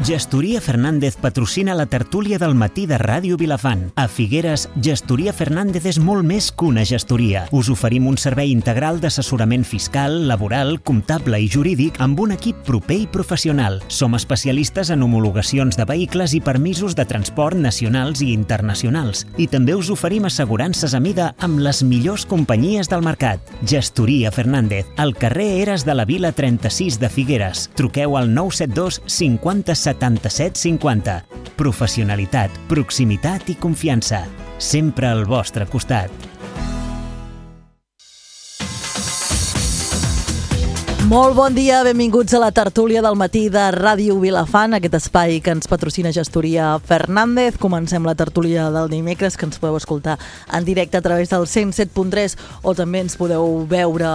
Gestoria Fernández patrocina la tertúlia del matí de Ràdio Vilafant. A Figueres, Gestoria Fernández és molt més que una gestoria. Us oferim un servei integral d'assessorament fiscal, laboral, comptable i jurídic amb un equip proper i professional. Som especialistes en homologacions de vehicles i permisos de transport nacionals i internacionals. I també us oferim assegurances a mida amb les millors companyies del mercat. Gestoria Fernández, al carrer Eres de la Vila 36 de Figueres. Truqueu al 972 50 77 50. Professionalitat, proximitat i confiança. Sempre al vostre costat. Molt bon dia, benvinguts a la tertúlia del matí de Ràdio Vilafant, aquest espai que ens patrocina Gestoria Fernández. Comencem la tertúlia del dimecres, que ens podeu escoltar en directe a través del 107.3 o també ens podeu veure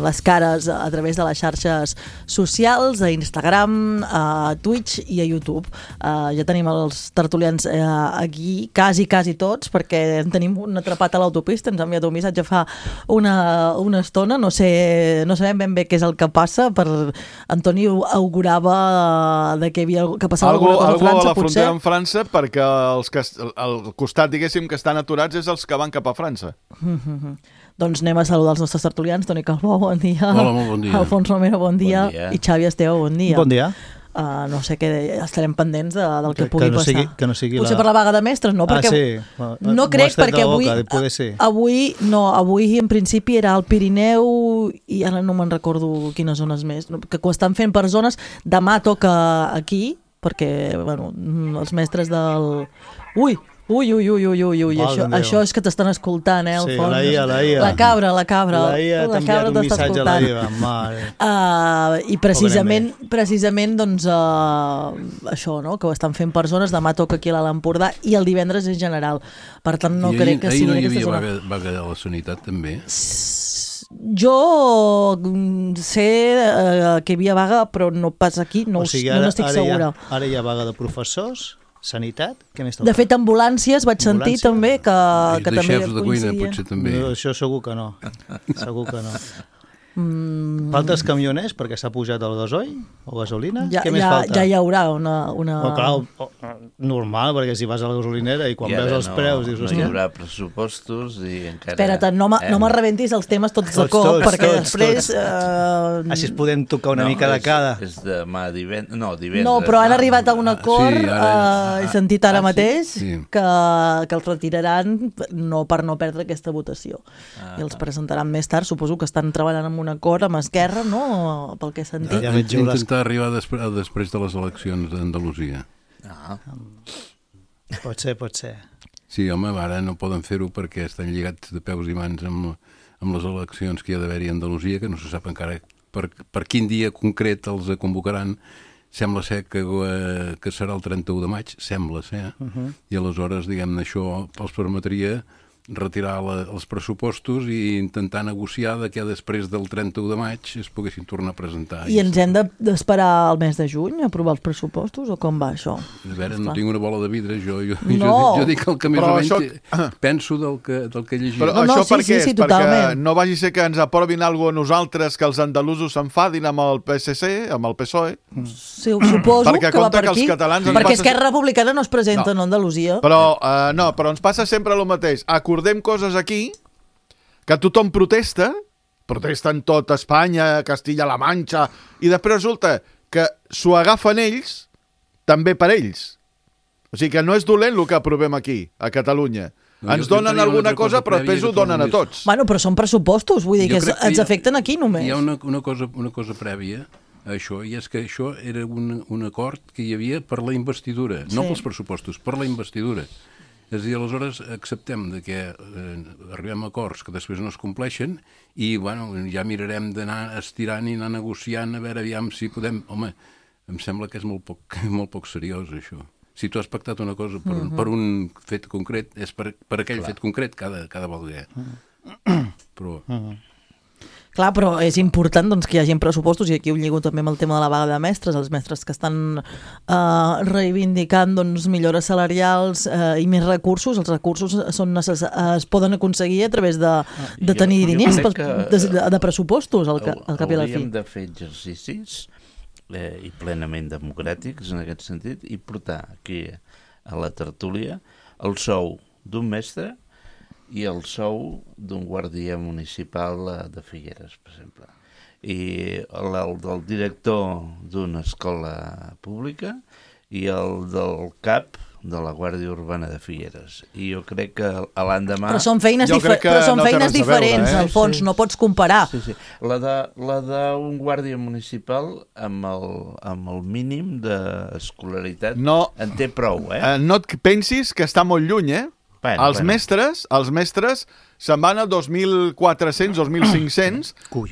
les cares a través de les xarxes socials, a Instagram, a Twitch i a YouTube. Ja tenim els tertulians aquí, quasi tots, perquè en tenim un atrapat a l'autopista, ens ha enviat un missatge fa una estona, no sabem ben bé què és el que passa, Antoni augurava que passava alguna cosa a França, a la potser. frontera amb França, perquè el costat, diguéssim, que estan aturats és els que van cap a França. Doncs anem a saludar els nostres tertulians. Toni Calbó, bon dia. Hola, molt bon dia. Alfons Romero, bon dia. I Xavi Esteve, bon dia. Bon dia. No sé què, estarem pendents del que pugui passar. Que no sigui potser per la vaga de mestres, no? Perquè no crec, perquè avui en principi era al Pirineu i ara no me'n recordo quines zones més, que ho estan fent per zones. Demà toca aquí, perquè els mestres del... Ui, això és que t'estan escoltant, Alfons? La cabra. La IA t'ha enviat un missatge a la IA. I precisament doncs, això, no? Que ho estan fent persones, demà toca aquí a l'Alt Empordà i el divendres és general. Per tant, no crec que sigui... Ahir no hi havia vaga de la sanitat, també? Jo sé que hi havia vaga, però no pas aquí, no estic segura. Ara hi ha vaga de professors, sanitat, què més toca? De fet, ambulàncies vaig sentir també que també xefs de cuina, potser també. No, això segur que no. Faltes camioners perquè s'ha pujat el gasoil o gasolina? Què més falta? Ja hi haurà una... normal, perquè si vas a la gasolinera i quan veus els preus dius... No hi haurà pressupostos i encara... Espera't, no me rebentis els temes tots de cop, perquè després... Així es podem tocar una mica de cada. És demà divendres... No, divendres. No, però han arribat a un acord, he sentit ara mateix, que els retiraran per no perdre aquesta votació. I els presentaran més tard, suposo que estan treballant amb un acord amb Esquerra, no? Pel que he sentit. Intentar arribar després de les eleccions d'Andalusia. Pot ser. Sí, home, ara no poden fer-ho perquè estan lligats de peus i mans amb les eleccions que hi ha d'haver-hi a Andalusia, que no se sap encara per quin dia concret els convocaran. Sembla ser que serà el 31 de maig, sembla ser, i aleshores, diguem-ne, això els permetria retirar els pressupostos i intentar negociar que després del 31 de maig es poguessin tornar a presentar. I ens hem d'esperar el mes de juny a aprovar els pressupostos o com va això? A veure, no tinc una bola de vidre, jo dic el que més o menys penso del que he llegit. Però això per què és? Perquè no vagi ser que ens aprovin alguna cosa a nosaltres, que els andalusos s'enfadin amb el PSC, amb el PSOE. Sí, suposo que va per aquí, perquè Esquerra Republicana no es presenta a Andalusia. Però ens passa sempre el mateix. Acordem coses aquí que tothom protesten tot Espanya, Castilla-La Manxa, i després resulta que s'ho agafen ells també per ells. O sigui que no és dolent el que aprovem aquí, a Catalunya. Ens donen alguna cosa, però després ho donen a tots. Bueno, però són pressupostos, vull dir que ens afecten aquí només. Hi ha una cosa prèvia a això, i és que això era un acord que hi havia per la investidura, no pels pressupostos, per la investidura. És a dir, aleshores acceptem que arribem a acords que després no es compleixen i ja mirarem d'anar estirant i anar negociant a veure aviam si podem... Home, em sembla que és molt poc seriós això. Si tu has pactat una cosa per un fet concret, és per aquell fet concret cada volta. Però... Clar, però és important doncs, que hi hagi pressupostos, i aquí ho lligo també amb el tema de la vaga de mestres, els mestres que estan reivindicant doncs, millores salarials i més recursos. Els recursos es poden aconseguir a través de tenir diners de pressupostos al cap i a la fi. Hauríem de fer exercicis i plenament democràtics en aquest sentit, i portar aquí a la tertúlia el sou d'un mestre i el sou d'un guàrdia municipal de Figueres, per exemple, i el del director d'una escola pública i el del cap de la Guàrdia Urbana de Figueres. I jo crec que l'endemà... Però són feines, diferents, al fons, no pots comparar. Sí. La d'un guàrdia municipal amb el mínim d'escolaritat en té prou, No et pensis que està molt lluny, Els mestres se'n van a 2.400, 2.500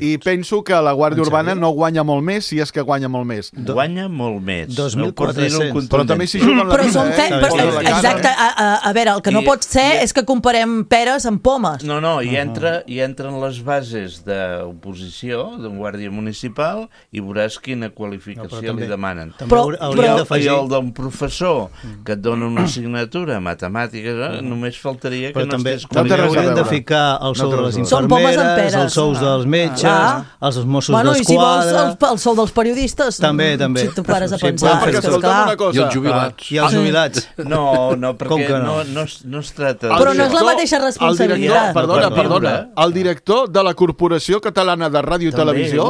i penso que la Guàrdia Urbana no guanya molt més, si és que guanya molt més. Guanya molt més. 2.400. Però també s'hi juguen la vida. Exacte. A veure, el que no pot ser és que comparem peres amb pomes. No, hi entren les bases d'oposició d'un guàrdia municipal i veuràs quina qualificació li demanen. I el d'un professor que et dona una assignatura matemàtica, només faltaria que no estés qualificat. Ficar el sou de les infermeres, els sous dels metges, els Mossos d'Esquadra... I si vols el sou dels periodistes, també. Si tu pares a pensar... I els jubilats. I els jubilats. No, perquè no es trata... Però no és la mateixa responsabilitat. Perdona. El director de la Corporació Catalana de Ràdio i Televisió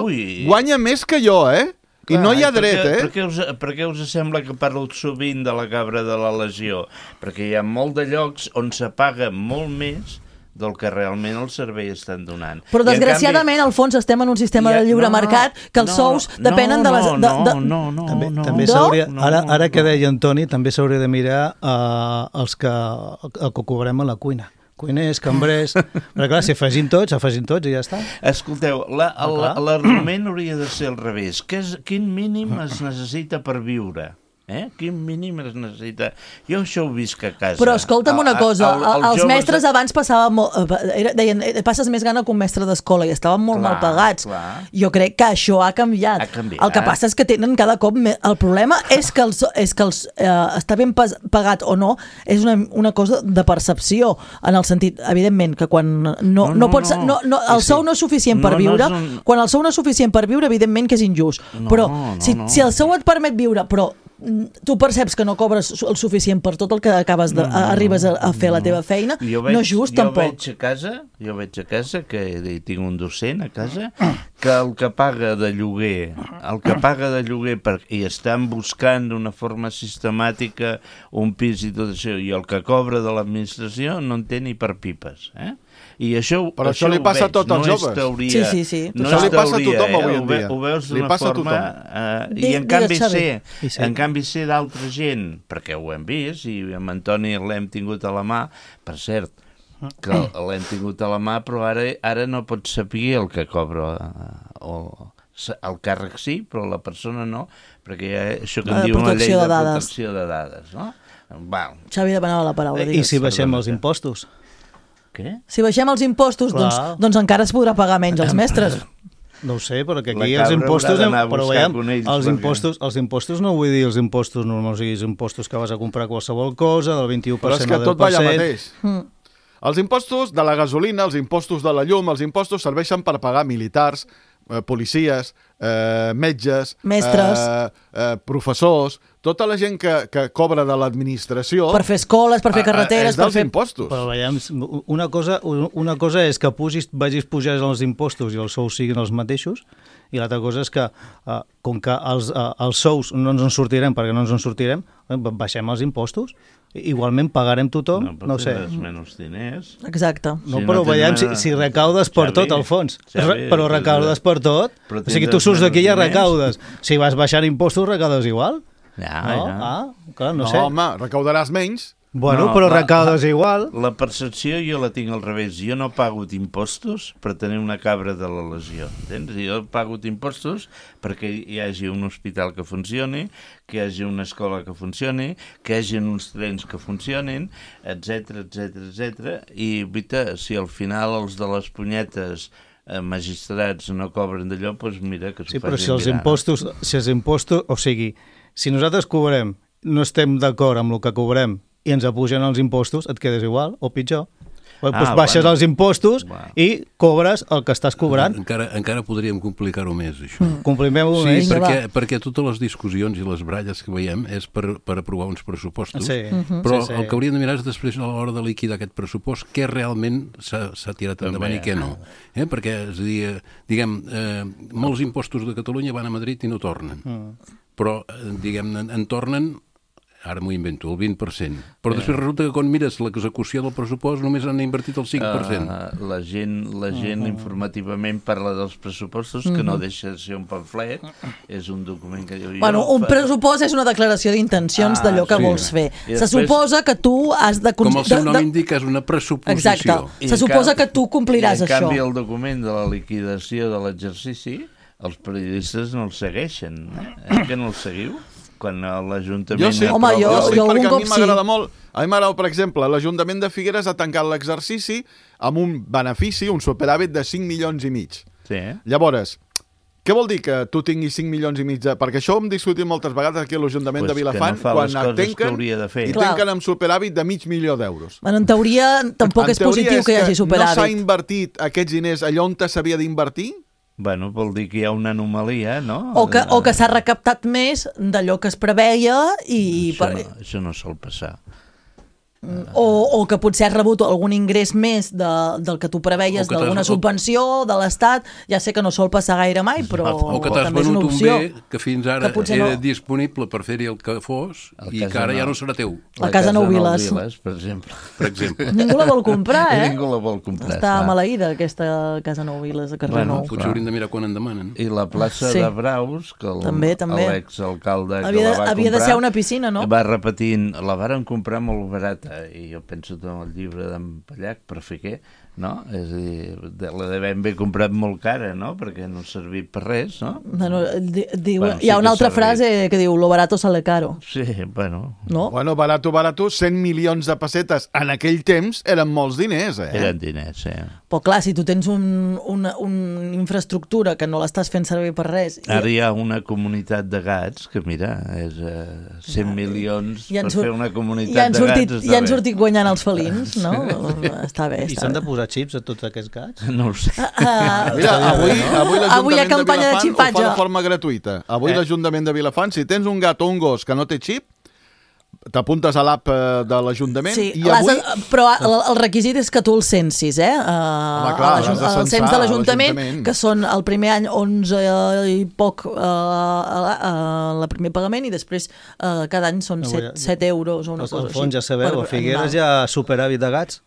guanya més que jo, I no hi ha dret, Per què us sembla que parlo sovint de la cabra de la legió? Perquè hi ha molt de llocs on se paga molt més del que realment el servei estan donant. Però desgraciadament, al fons, estem en un sistema de lliure mercat que els sous depenen de les... També s'hauria... Ara que deia Antoni, també s'hauria de mirar el que cobrem a la cuina. Cuiners, cambrers... Però clar, si afegim tots i ja està. Escolteu, l'argument hauria de ser al revés. Quin mínim es necessita per viure? Quin mínim es necessita? Jo això ho visc a casa. Però escolta'm una cosa, els mestres abans passaven deien, passes més gana que un mestre d'escola i estaven molt mal pagats. Jo crec que això ha canviat. El que passa és que tenen cada cop més... El problema és que està ben pagat o no, és una cosa de percepció, en el sentit, evidentment, que quan el sou no és suficient per viure, quan el sou no és suficient per viure, evidentment que és injust. Però si el sou et permet viure, però tu perceps que no cobres el suficient per tot el que arribes a fer la teva feina, no és just tampoc. Jo veig a casa que tinc un docent a casa que el que paga de lloguer i estan buscant d'una forma sistemàtica un pis i tot això, i el que cobra de l'administració no en té ni per pipes, I però això li passa a tots els joves. Sí. Això li passa a tothom avui en dia. Ho veus d'una forma... I en canvi sé d'altra gent, perquè ho hem vist, i amb Antoni l'hem tingut a la mà, per cert, que l'hem tingut a la mà, però ara no pots saber el que cobra el càrrec sí, però la persona no, perquè hi ha això que en diu una llei de protecció de dades, no? Xavi demanava la paraula. I si baixem els impostos? Què? Si baixem els impostos, doncs encara es podrà pagar menys als mestres. No ho sé, però que aquí els impostos... Però veiem, els impostos no vull dir els impostos normals, els impostos que vas a comprar qualsevol cosa, del 21% però és que tot va allà mateix. Els impostos de la gasolina, els impostos de la llum, els impostos serveixen per pagar militars, policies, metges, mestres, professors, tota la gent que cobra de l'administració... Per fer escoles, per fer carreteres... És dels impostos. Però veiem, una cosa és que vagis pujar els impostos i els sous siguin els mateixos, i l'altra cosa és que, com que els sous no ens en sortirem perquè no ens en sortirem, baixem els impostos. Igualment pagarem tothom, no sé. Menys diners. Exacte. No, però veiem si recaudes per tot, al fons. Però recaudes per tot. O sigui, tu surts d'aquí i ja recaudes. Si vas baixant impostos, recaudes igual. Clar, no sé. No, home, recaudaràs menys. Bueno, però recaudes igual. La percepció jo la tinc al revés. Jo no pago impostos per tenir una cabra de la legió. Entens? Jo pago impostos perquè hi hagi un hospital que funcioni, que hi hagi una escola que funcioni, que hi hagi uns trens que funcionin, etc. I, si al final els de les punyetes magistrats no cobren d'allò, doncs mira que s'ho facin mirar. Si els impostos, o sigui, si nosaltres cobrem, no estem d'acord amb el que cobrem, i ens apugen els impostos, et quedes igual o pitjor. Doncs baixes els impostos i cobres el que estàs cobrant. Encara podríem complicar-ho més, això. Complimem-ho Sí, més. perquè totes les discussions i les baralles que veiem és per aprovar uns pressupostos, Sí. però Sí. el que hauríem de mirar és després a l'hora de liquidar aquest pressupost què realment s'ha tirat endavant i què no. Perquè, és a dir, diguem, molts impostos de Catalunya van a Madrid i no tornen, però, diguem, en tornen, ara m'ho invento, el 20%. Però després resulta que quan mires l'execució del pressupost només han invertit el 5%. La gent informativament parla dels pressupostos, que no deixa de ser un pamflet, és un document que diu... Bueno, un pressupost és una declaració d'intencions d'allò que vols fer. Se suposa que tu has de... Com el seu nom indica, és una pressuposició. Exacte. Se suposa que tu compliràs això. En canvi, el document de la liquidació de l'exercici, els periodistes no el segueixen. Que no el seguiu? Quan l'Ajuntament... Jo sí, Home, jo perquè algun a mi cop sí. m'agrada molt. A mi m'agrada, per exemple, l'Ajuntament de Figueres ha tancat l'exercici amb un benefici, un superàvit de 5 milions i mig. Sí. Llavors, què vol dir que tu tinguis 5 milions i mig? Perquè això ho hem discutit moltes vegades aquí a l'Ajuntament de Vilafant, quan tanquen i tanquen amb superàvit de $500.000 d'euros. Bueno, en teoria tampoc és positiu que hi hagi superàvit. No s'ha invertit aquests diners allà on s'havia d'invertir? Bueno, vol dir que hi ha una anomalia, no? O que s'ha recaptat més d'allò que es preveia i... Això no sol passar. O que potser has rebut algun ingrés més del que tu preveies, d'alguna subvenció de l'Estat. Ja sé que no sol passar gaire mai, però o que t'has també és una venut un opció. bé que fins ara era disponible per fer-hi el que fos i que ara ja no serà teu. La Casa Nou Viles, per exemple. Ningú la vol comprar, Ningú la vol comprar. Està maleïda, aquesta Casa Nou Viles de carrer Nou. Potser hauríem de mirar quan en demanen. I la plaça de Braus, que l'exalcalde... Havia de ser una piscina, no? Va repetint, la varen comprar molt barata, i jo penso en el llibre d'en Pallac, per fer què, no? És a dir, la devem haver comprat molt cara, no? Perquè no ha servit per res, no? Hi ha una altra frase que diu, lo barato sale caro. Sí, bueno. No? Bueno, barato, 100 milions de pessetes en aquell temps eren molts diners, Eren diners, Però clar, si tu tens una infraestructura que no l'estàs fent servir per res... Ara hi ha una comunitat de gats que, mira, és 100 milions per fer una comunitat de gats. I han sortit guanyant els felins, no? Està bé. I s'han de posar xips a tots aquests gats? No ho sé. Mira, avui l'Ajuntament de Vilafant ho fa de forma gratuïta. Avui l'Ajuntament de Vilafant, si tens un gat o un gos que no té xip, t'apuntes a l'app de l'Ajuntament i avui... Però el requisit és que tu el censis, el cens de l'Ajuntament, que són el primer any 11 i poc el primer pagament i després cada any són 7 euros o una cosa així. Al fons ja sabeu, a Figueres hi ha superàvit de gats.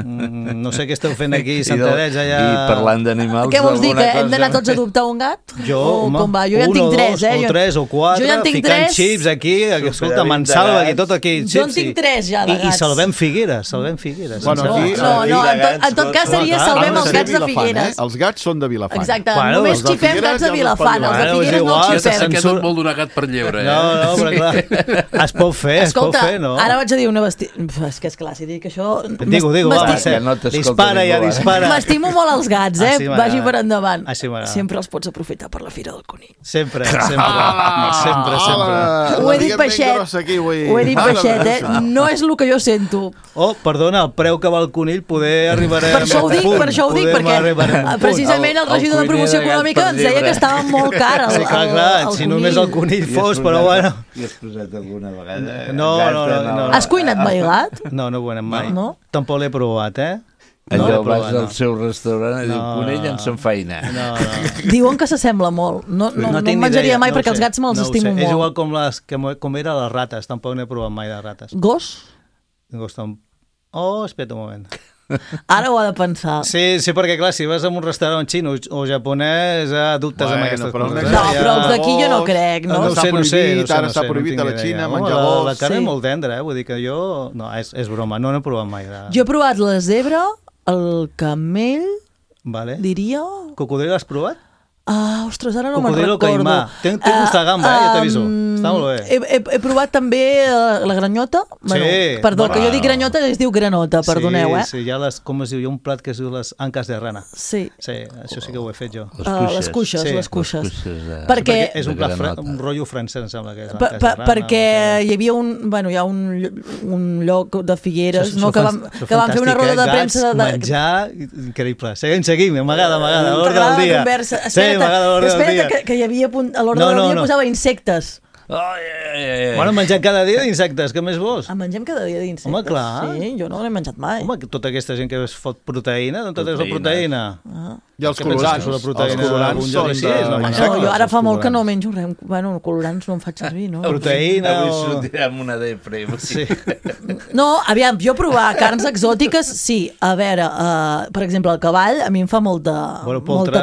No sé què esteu fent aquí, Santadets, allà... I parlant d'animals... Què vols dir, que hem d'anar tots a adoptar un gat? Jo, home, jo ja en tinc 3, o 3 o 4, ficant xips aquí, escolta, Mansalva, aquí, tot aquí, jo en tinc 3 ja, de gats. I salvem Figueres. No, en tot cas seria salvem els gats de Figueres. Els gats són de Vilafant. Exacte, només xipem gats de Vilafant, els de Figueres no els xipem. Aquest et vol donar gat per lleure, No, però clar, es pot fer, no? Ara vaig a dir una bestiesa... És que esclar, si dic això... Digue-ho, dispara ja, dispara. M'estimo molt els gats, vagi per endavant. Sempre els pots aprofitar per la Fira del Conill. Sempre. Ho he dit baixet, no és el que jo sento. Oh, perdona, el preu que va el conill poder arribarem per això ho dic, perquè precisament el regidor de promoció econòmica ens deia que estava molt car el conill. Si només el conill fos, però bueno. I has posat alguna vegada? No. Has cuinat mai gat? No he cuinat mai. Tampoc l'he provat, Allò vas al seu restaurant i diu, conill en s'enfaina. Diuen que s'assembla molt. No em menjaria mai perquè els gats me'ls estimo molt. És igual com era les rates, tampoc n'he provat mai de rates. Gos? Espera un moment. Ara ho ha de pensar. Sí, perquè clar, si vas a un restaurant xino o japonès, dubtes amb aquestes coses. No, però els d'aquí jo no crec, no? Ara està prohibit a la Xina menjar gos. La carn és molt tendra, vull dir que jo... No, és broma, no n'he provat mai. Jo he provat la zebra, el camell, diria... Cocodril has provat? Ostres, ara no me'n Cocodrilo recordo. caimà. Té gust de gamba, ja t'aviso. Està molt bé. He provat també la granyota. Perdó, que jo dic granyota i es diu granota, perdoneu, Sí, hi ha com es diu, hi ha un plat que es diu les anques de rana. Sí. Sí, això sí que ho he fet jo. Les cuixes. Perquè és un plat, un rotllo francès, em sembla que és anques de rana. Perquè hi havia hi ha un lloc de Figueres que van fer una roda de premsa de... Menjar, increïble. Seguim, m'agrada l'ordre del dia. Espera't, que hi havia a l'ordre del dia posava insectes. Bueno, menjant cada dia d'insectes, què més vols? Mengem cada dia d'insectes. Home, clar. Sí, jo no l'he menjat mai. Home, tota aquesta gent que es fot proteïna, d'on tot és la proteïna? I els colorants. Els colorants són jo ara fa molt que no menjo res. Bueno, colorants no em faig servir, no? Proteïna Avui sortirem una depre. Sí. No, aviam, jo provar carns exòtiques, sí. A veure, per exemple, el cavall a mi em fa molta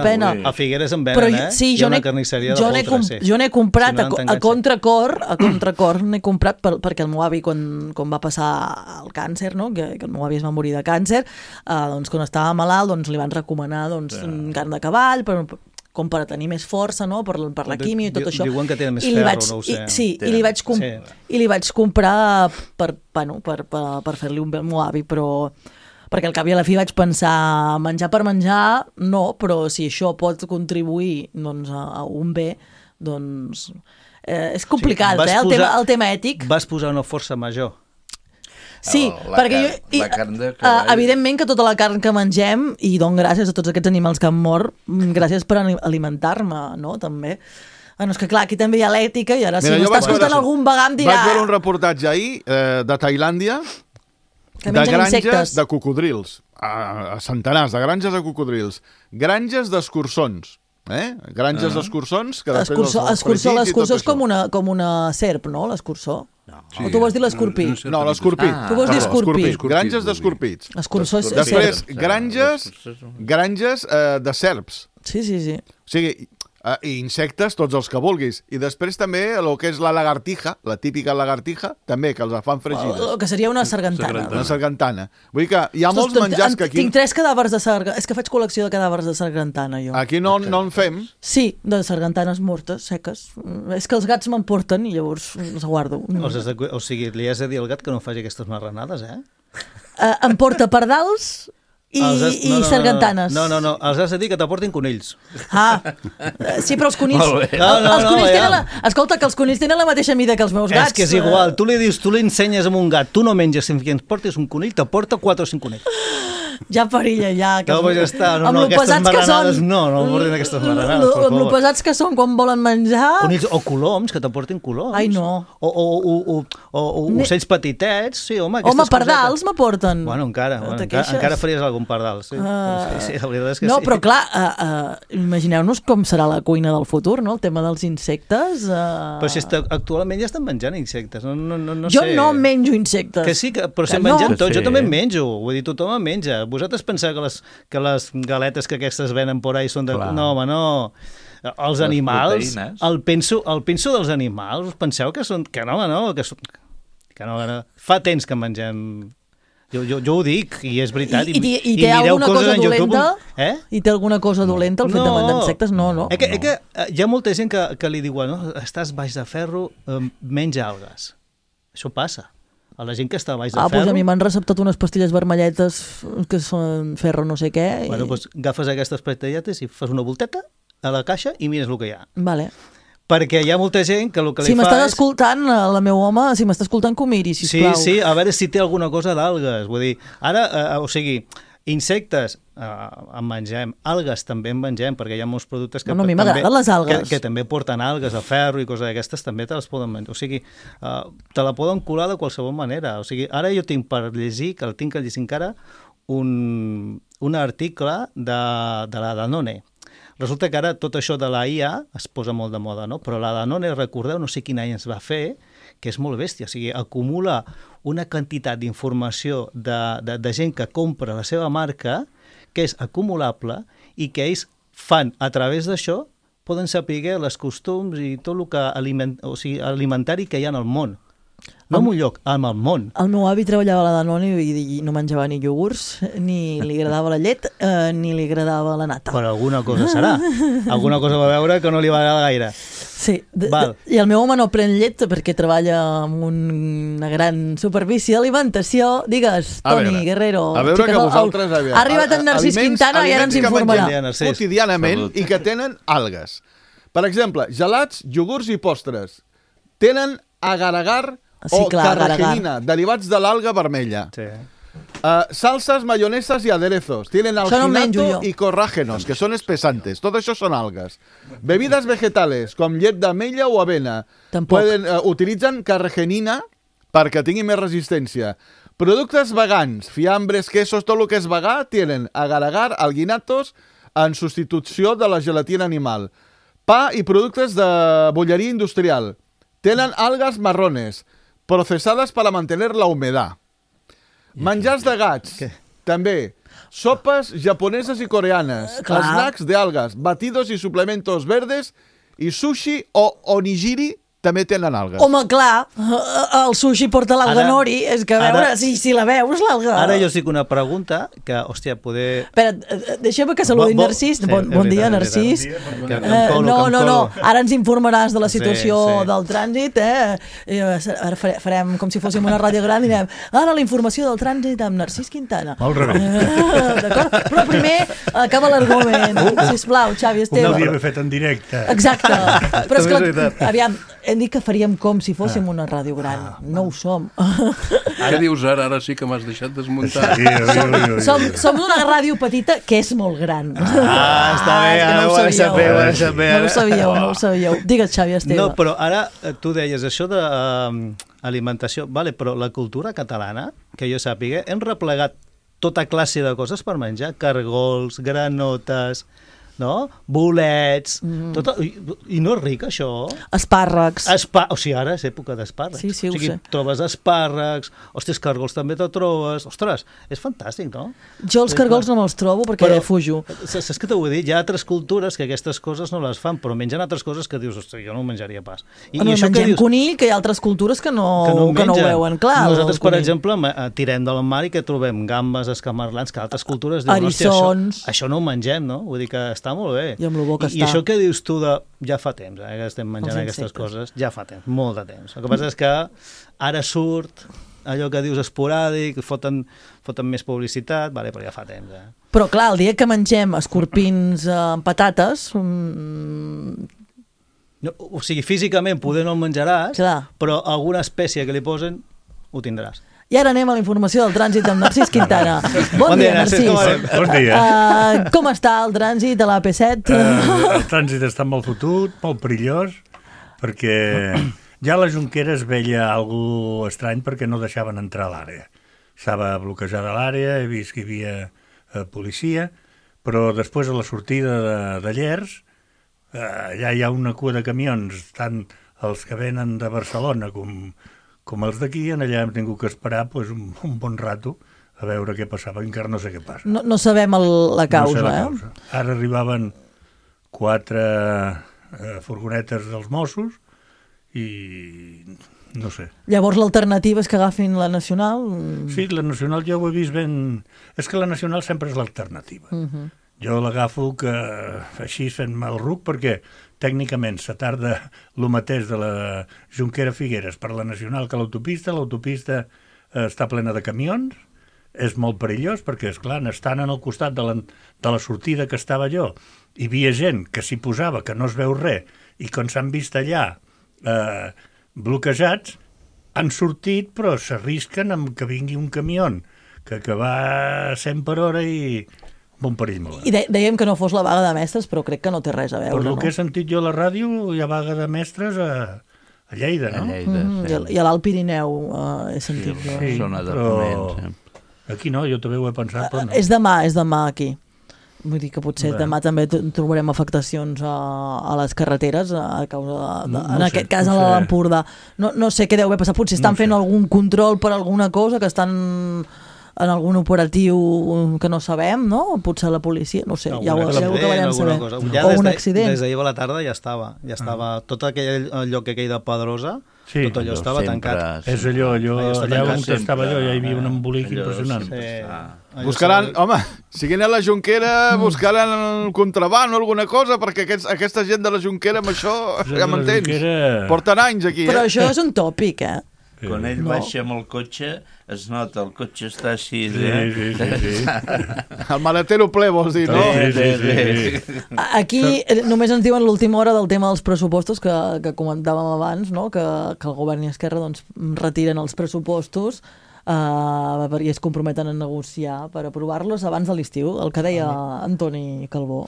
pena. A Figueres en venen, eh? Sí, jo n'he comprat a contracor n'he comprat perquè el meu avi quan va passar el càncer, no? Que el meu avi es va morir de càncer, doncs quan estava malalt doncs li van recomanar carn de cavall com per tenir més força, no? Per la químia i tot això. Diuen que tenen més ferro, no ho sé. Sí, i li vaig comprar per fer-li un bé al meu avi, però perquè al cap i a la fi vaig pensar menjar per menjar, no, però si això pot contribuir a un bé, doncs és complicat, el tema ètic. Vas posar una força major. Sí, perquè evidentment que tota la carn que mengem, i dono gràcies a tots aquests animals que han mort, gràcies per alimentar-me, no?, també. Bueno, és que clar, aquí també hi ha l'ètica, i ara si m'està escoltant algun vegà em dirà... Vaig veure un reportatge ahir de Tailàndia de granges de cocodrils, a centenars de granges de cocodrils, granges d'escurçons, granges d'escurçons que després l'escurçó és com una serp, no?, l'escurçó. O tu vols dir l'escorpí? No, l'escorpí. Tu vols dir escorpí? Granges d'escorpits. L'escurçó és després, granges de serps. Sí. O sigui, i insectes, tots els que vulguis. I després també el que és la lagartija, la típica lagartija, també, que els fan fregides. El que seria una sargantana. Una sargantana. Vull dir que hi ha molts menjars que aquí... Tinc 3 cadàvers de sargantana. És que faig col·lecció de cadàvers de sargantana, jo. Aquí no en fem. Sí, de sargantanes mortes, seques. És que els gats m'emporten i llavors els guardo. O sigui, li has de dir al gat que no faci aquestes marranades, Em porta pardals... I sargantanes. No, els has de dir que t'aportin conills. Sí, però els conills... Escolta, que els conills tenen la mateixa mida que els meus gats. És que és igual, tu li dius, tu li ensenyes amb un gat, tu no menges, si ens portes un conill, t'aporta 4 o 5 conills. Ja perilla, ja. No, ja està, aquestes marranades, no portin aquestes marranades, per favor. Amb lo pesats que són quan volen menjar... Conills o coloms, que t'aportin coloms. Ai, no. O ocells petitets, sí, home, aquestes cosetes. Home, pardals m'aporten. Bueno, encara faries algun pardal, sí. Sí, la veritat és que sí. No, però clar, imagineu-nos com serà la cuina del futur, no? El tema dels insectes... Però si actualment ja estan menjant insectes, no sé. Jo no menjo insectes. Que sí, però estem menjant tots, jo també en menjo, vull dir, tothom en menja. Vosaltres penseu que les galetes que aquestes venen por ahí són de... No, home, no. Els animals, el penso dels animals, penseu que són... Que no, fa temps que mengem... Jo ho dic, i és veritat. I té alguna cosa dolenta? I té alguna cosa dolenta el fet de menjar insectes? No. Que hi ha molta gent que li diuen, estàs baix de ferro, menja algues. Això passa. A la gent que està baix de ferro... Doncs a mi m'han receptat unes pastilles vermelletes que són ferro no sé què. Bueno, doncs agafes aquestes pastilles i fas una volteta a la caixa i mires el que hi ha. Vale. Perquè hi ha molta gent que el que li fa és... Si m'estàs escoltant, la meu home, si m'està escoltant, que ho miri, sisplau. Sí, a veure si té alguna cosa d'algues. Vull dir, ara, o sigui, insectes en mengem, algues també en mengem, perquè hi ha molts productes que... No, a mi m'agraden les algues. Que també porten algues, el ferro i coses d'aquestes, també te les poden menjar. O sigui, te la poden colar de qualsevol manera. O sigui, ara jo tinc per llegir, que el tinc que llegir encara, un article de la Danone. Resulta que ara tot això de la IA es posa molt de moda, no? Però la Danone, recordeu, no sé quin any es va fer, que és molt bèstia, o sigui, acumula una quantitat d'informació de gent que compra la seva marca que és acumulable i que ells fan a través d'això, poden saber les costums i tot el que alimentari que hi ha en el món. No en un lloc, en el món. El meu avi treballava a la Danone i no menjava ni iogurts, ni li agradava la llet, ni li agradava la nata. Però alguna cosa serà. Alguna cosa va veure que no li va agradar gaire. Sí, i el meu home no pren llet perquè treballa en una gran superfície d'alimentació. Digues, Toni Guerrero. A veure que vosaltres... Ha arribat en Narcís Quintana i ara ens informarà. Quotidianament i que tenen algues. Per exemple, gelats, iogurts i postres. Tenen agar-agar o carragenina, derivats de l'alga vermella. Sí. Salsas, mayonesas y aderezos. Tienen alginato y corrágenos, que son espesantes. Todo eso son algas. Bebidas vegetales, com llet d'amella o avena. Utilitzen carragenina perquè tingui més resistència. Productes vegans, fiambres, quesos, tot el que és vegà, tienen agar-agar, alginatos, en substitució de la gelatina animal. Pa y productos de bollería industrial. Tienen algas marrones, procesadas para mantener la humedad. Menjars de gats, també. Sopes japoneses y coreanas. Snacks de algas, batidos y suplementos verdes. I sushi o onigiri també tenen algues. Home, clar, el sushi porta l'alga nori, és que a veure, si la veus, l'alga... Ara jo estic una pregunta que, hòstia, poder... Espera, deixa'm que saludi Narcís. Bon dia, Narcís. No, ara ens informaràs de la situació del trànsit, Ara farem com si fóssim una ràdio gran i direm, ara la informació del trànsit amb Narcís Quintana. Al revés. D'acord? Però primer acaba l'argument. Sisplau, Xavi Esteve. No ho havia fet en directe. Exacte. Però esclar, aviam, hem dit que faríem com si fóssim una ràdio gran. No ho som. Què dius ara? Ara sí que m'has deixat desmuntar. Som una ràdio petita que és molt gran. Està bé, ara ho deixat bé. No ho sabíeu. Digues, Xavi Esteve. No, però ara tu deies això d'alimentació, però la cultura catalana, que jo sàpiga, hem replegat tota classe de coses per menjar, cargols, granotes, no? Bolets, i no és ric, això? Espàrrecs. O sigui, ara és època d'espàrrecs. Sí, ho sé. Trobes espàrrecs, ostres, cargols també te'l trobes. Ostres, és fantàstic, no? Jo els cargols no me'ls trobo perquè fujo. Saps què t'ho vull dir? Hi ha altres cultures que aquestes coses no les fan, però mengen altres coses que dius, ostres, jo no ho menjaria pas. Mengem conill, que hi ha altres cultures que no ho veuen, clar. Nosaltres, per exemple, tirem del mar i que trobem gambes, escamarlans, que altres cultures diuen, eriçons. Això no ho mengem, no? Vull dir que està molt bé. I amb lo bo que està. I això que dius tu de... Ja fa temps, que estem menjant aquestes coses. Ja fa temps, molt de temps. El que passa és que ara surt allò que dius esporàdic, foten més publicitat, però ja fa temps. Però clar, el dia que mengem escorpins amb patates... O sigui, físicament poder no el menjaràs, però alguna espècie que li posen ho tindràs. I ara anem a la informació del trànsit amb Narcís Quintana. Bon dia, Narcís. Bon dia. Com està el trànsit a l'AP7? El trànsit està molt fotut, molt perillós, perquè ja a la Jonquera es veia alguna estrany perquè no deixaven entrar a l'àrea. Estava bloquejada l'àrea, he vist que hi havia policia, però després a la sortida de Llers, allà hi ha una cua de camions, tant els que venen de Barcelona com els d'aquí, allà hem tingut que esperar un bon rato a veure què passava, encara no sé què passa. No sabem la causa, no sé la causa. Ara arribaven 4 furgonetes dels Mossos i no sé. Llavors l'alternativa és que agafin la Nacional? Sí, la Nacional jo ho he vist ben... És que la Nacional sempre és l'alternativa. Jo l'agafo que així fent-me el ruc perquè tècnicament se tarda el mateix de la Jonquera-Figueres per la Nacional que l'autopista està plena de camions, és molt perillós perquè, esclar, estan al costat de la sortida que estava jo, hi havia gent que s'hi posava, que no es veu res, i quan s'han vist allà bloquejats, han sortit però s'arrisquen amb que vingui un camió que va a 100 per hora i... bon perill molt. I dèiem que no fos la vaga de mestres, però crec que no té res a veure, no? Per el que he sentit jo a la ràdio, hi ha vaga de mestres a Lleida, no? A Lleida, I a l'Alt Pirineu he sentit. Sí, zona de Ponent. Aquí no, jo també ho he pensat, però no. És demà aquí. Vull dir que potser demà també trobarem afectacions a les carreteres a causa en aquest cas a l'Empordà. No sé què deu haver passat, potser estan fent algun control per alguna cosa, que estan en algun operatiu que no sabem, no? Potser la policia, no sé, ja ho acabarem sabent. O un accident. Des d'ahir a la tarda ja estava tot aquell lloc aquell de Pedrosa Sí. tot allò estava tancat. És allò allà on sempre, estava allò, ja hi havia un embolic impressionant. Buscaran, home, siguin a la Jonquera, buscaran el contraban o alguna cosa, perquè aquesta gent de la Jonquera amb això, ja m'entens, porten anys aquí. Però això és un tòpic, Quan ell baixa amb el cotxe, es nota, el cotxe està així. Sí. El maletero ple, vols dir, no? Sí. Aquí només ens diuen l'última hora del tema dels pressupostos que comentàvem abans, no? que el govern i Esquerra doncs, retiren els pressupostos i es comprometen a negociar per aprovar-los abans de l'estiu, el que deia Antoni Calbó.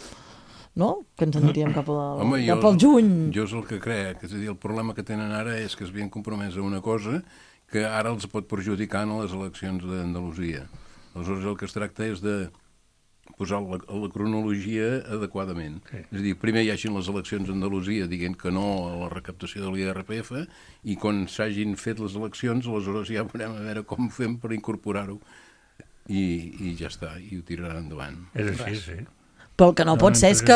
No? Que ens aniríem cap al juny. Jo és el que crec. És a dir, el problema que tenen ara és que es havien compromès a una cosa que ara els pot perjudicar en les eleccions d'Andalusia. Aleshores, el que es tracta és de posar la cronologia adequadament. Sí. És a dir, primer hi hagin les eleccions a Andalusia dient que no a la recaptació de l'IRPF i quan s'hagin fet les eleccions, aleshores ja veurem a veure com fem per incorporar-ho i ja està, i ho tiraran endavant. És així, sí. Però el que no pot ser és que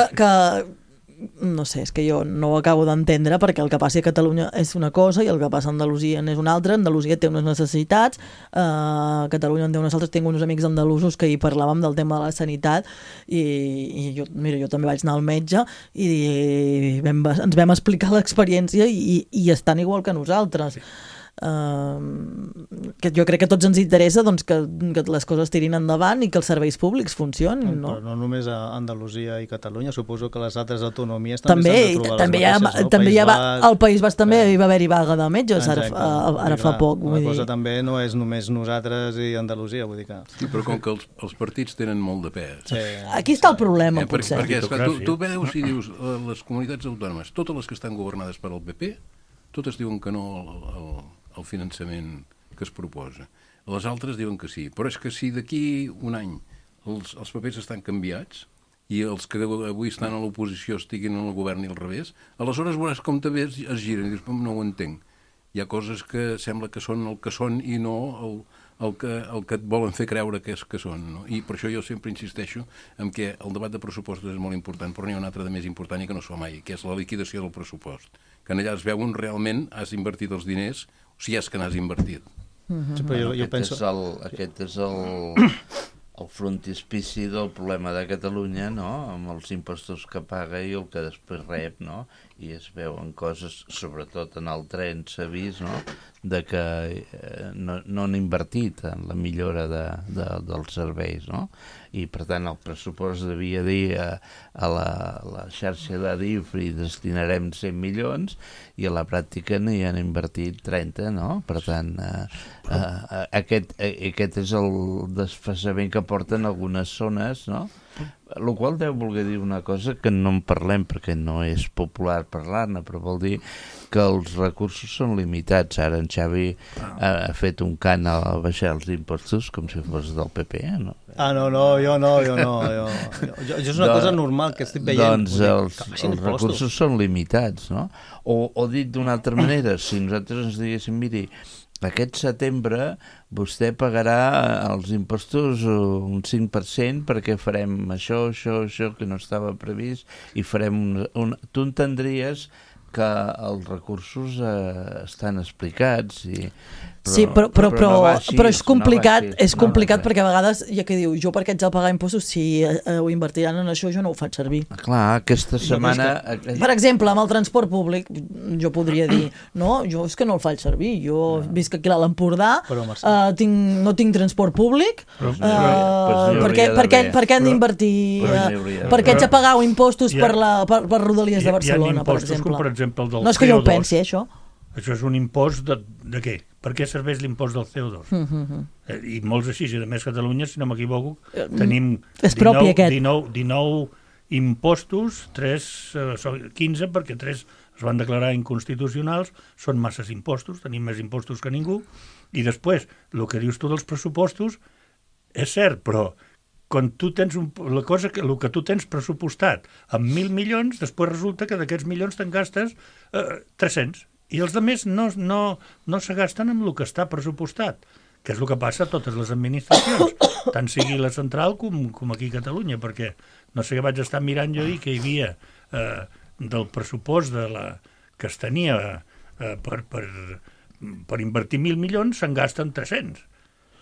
no sé, és que jo no ho acabo d'entendre, perquè el que passi a Catalunya és una cosa i el que passa a Andalusia és una altra. Andalusia té unes necessitats, Catalunya en té unes altres. Tinc uns amics andalusos que hi parlàvem del tema de la sanitat i jo també vaig anar al metge i ens vam explicar l'experiència i estan igual que nosaltres. Que jo crec que a tots ens interessa doncs, que les coses tirin endavant i que els serveis públics funcionin, no? Però no només a Andalusia i Catalunya, suposo que les altres autonomies també s'han de trobar les mateixes. També al País Basc també hi va haver-hi vaga de metges ara fa poc. La cosa també no és només nosaltres i Andalusia, vull dir que... Sí, però com que els partits tenen molt de pes. Sí. Aquí està el problema, potser. Perquè tu veus i dius, les comunitats autònomes, totes les que estan governades per al PP, totes diuen que no al finançament que es proposa. Les altres diuen que sí. Però és que si d'aquí un any els papers estan canviats i els que avui estan a l'oposició estiguin en el govern i al revés, aleshores veuràs com també es giren i dius, no ho entenc. Hi ha coses que sembla que són el que són i no el que et volen fer creure que són. No? I per això jo sempre insisteixo en que el debat de pressupostos és molt important, però n'hi ha un altre de més important i que no es fa mai, que és la liquidació del pressupost. Que allà es veuen realment has invertit els diners, si és que n'has invertit. Sí, però jo penso... Aquest és el frontispici del problema de Catalunya, no? Amb els impostos que paga i el que després rep, no? I es veuen coses, sobretot en el tren s'ha vist, no? De que no han invertit en la millora dels serveis, no? I per tant el pressupost devia dir a la xarxa d'Adif i destinarem 100 milions i a la pràctica n'hi han invertit 30, no? Per tant, aquest és el desfasament que porten algunes zones, no? El qual deu voler dir una cosa que no en parlem perquè no és popular parlar-ne, però vol dir que els recursos són limitats. Ara en Xavi ha fet un cant a baixar els impostos com si fos del PP, no? Jo no. Jo és una cosa normal que estic veient. Doncs els recursos són limitats, no? O dit d'una altra manera, si nosaltres ens diguéssim, miri, aquest setembre vostè pagarà els impostos un 5% perquè farem això, que no estava previst i farem tu entendries que els recursos estan explicats però és complicat perquè a vegades ja que diu, jo per què haig de pagar impostos si ho invertiran en això, jo no ho faig servir. Clar, aquesta setmana... Per exemple, amb el transport públic jo podria dir, no, jo és que no el faig servir, jo visc aquí a l'Empordà, no tinc transport públic, per què han d'invertir, per què haig de pagar impostos per Rodalies de Barcelona, per exemple. No és que jo ho pensi, això. Això és un impost de què? Per què serveix l'impost del CO2? I molts així, i a més Catalunya, si no m'equivoco, tenim 19 impostos, 15 perquè 3 es van declarar inconstitucionals, són masses impostos, tenim més impostos que ningú, i després, el que dius tu dels pressupostos, és cert, però quan tu tens el que tu tens pressupostat amb 1.000 milions, després resulta que d'aquests milions te'n gastes 300, i els altres no se gasten amb el que està pressupostat, que és el que passa a totes les administracions, tant sigui la central com aquí a Catalunya, perquè no sé què vaig estar mirant jo ahir que hi havia del pressupost que es tenia per invertir 1.000 milions se'n gasten 300.